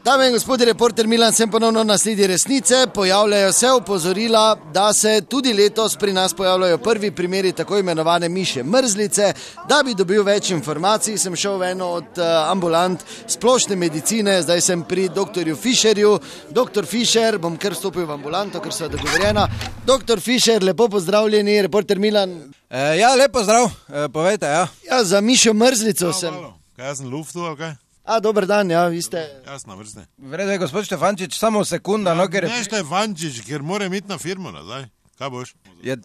Dame in gospodje, reporter Milan, sem ponovno na sledi resnice. Pojavljajo se opozorila, da se tudi letos pri nas pojavljajo prvi primeri tako imenovane mišje mrzlice. Da bi dobil več informacij, sem šel v eno od ambulant splošne medicine, zdaj sem pri doktorju Fišerju. Doktor Fišer, bom kar vstopil v ambulanto, ker so dogovorjena. Doktor Fišer, lepo pozdravljeni, reporter Milan. Ja, lepo zdrav, povejte, ja. Ja, za mišjo mrzlico sem. Kaj sem luftu, ali kaj? Dober dan, ja, vi ste... Jasna vrste. Vredo je, gospod Štefančič, samo sekunda, no, ker... Ne Štefančič, ker moram iti na firmo nazaj. Kaj boš?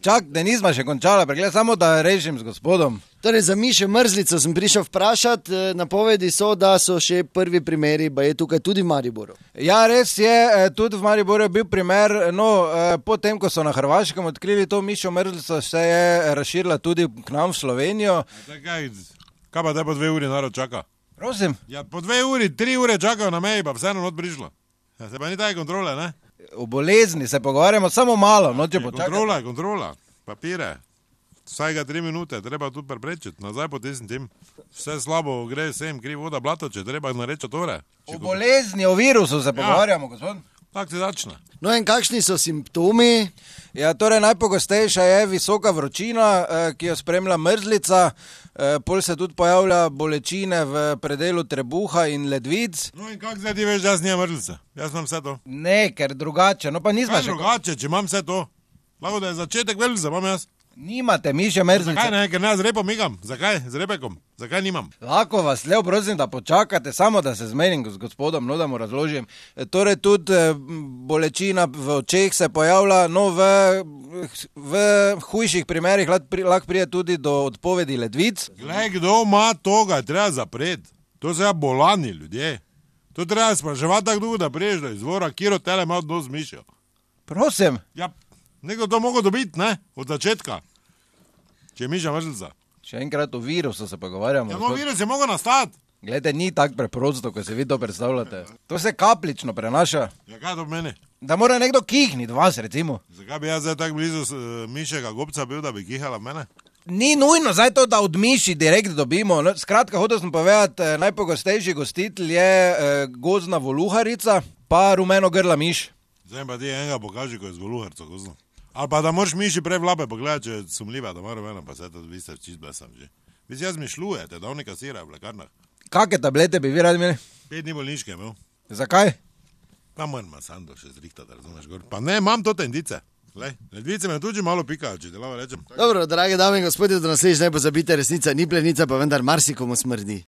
Čak, da nisma še končala, pregled, samo da rešim z gospodom. Torej, za mišjo mrzlico sem prišel vprašati, napovedi so, da so še prvi primeri, pa je tukaj tudi v Mariboru. Ja, res je, tudi v Mariboru je bil primer, no, potem, ko so na Hrvaškem odkrili to mišjo mrzlico, se je razširila tudi k nam v Slovenijo. Kaj pa te po 2 uri narod čaka? Prosim? Ja, po 2 uri, 3 ure čakajo na meji, pa vseeno not prišlo. Ja, se pa ni taj kontrole, ne? O bolezni se pogovarjamo samo malo, no, če počakati. Kontrola, papire. Vsaj ga 3 minute, treba tu preprečiti, nazaj potisniti tim. Vse slabo gre sem, kriv voda, blato, če treba nareči tore. O bolezni, o virusu se pogovarjamo, gospod. Tako se začne. No in kakšni so simptomi? Ja, torej najpogostejša je visoka vročina, ki jo spremlja mrzlica, pol se tudi pojavlja bolečine v predelu trebuha in ledvic. No in kako zdaj ti veš, da jaz nimam mrzlice? Jaz imam vse to. Ne, ker drugače, no pa nisma še... Kaj drugače, če imam vse to? Lahko da je začetek mrzlice, imam jaz. Nimate mišje mrzlice. Zakaj ne, ker ne z repom igam? Zakaj? Z repekom? Zakaj nimam? Lahko vas lepo prosim, da počakate, samo da se zmerim z gospodom, no da mu razložim. Torej tudi bolečina v očeh se pojavlja, no v hujših primerih lahko pride tudi do odpovedi ledvic. Glej, kdo ima toga, treba zapreti. To so ja bolani ljudje. To treba spraševati tako dolgo, da priješ do izvora, kjer od tele ima odnos z mišjo. Prosim. Ja, nekdo to mogo dobiti, ne? Od začetka. Če je mišja mrzlica. Še enkrat o virusu se pogovarjamo. Ja, no virus je mogo nastati. Glede, ni tako preprosto, ko se vi to predstavljate. To se kaplično prenaša. Ja, kaj to pomeni? Da mora nekdo kihniti vas, recimo. Zakaj bi jaz zdaj tako blizu mišjega gobca bil, da bi kihala mene? Ni nujno zdaj to, da od miši direkt dobimo. No, skratka, hotel sem povedati, najpogostejši gostitelj je gozdna voluharica, pa rumeno grla miš. Zdaj pa ti enega pokaži, ko je z voluharco gozdno. Ali pa da moraš miši prej v lape pogledati, če je sumljiva, da mora mena, pa se to vi ste čist blesam že. Vi si jaz mišljujete, da oni kasirajo v lekarnah. Kakve tablete bi vi radi imeli? 5 dni bolniške imel. Zakaj? Pa moram sando še zrihtati, da razumeš gor. Pa ne, imam to tendice. Glej, ledvice me tudi malo pikajo, če te lavo rečem. Dobro, drage dame in gospodje, do naslednjič ne pozabite, resnica ni plenica, pa vendar marsikomu smrdi.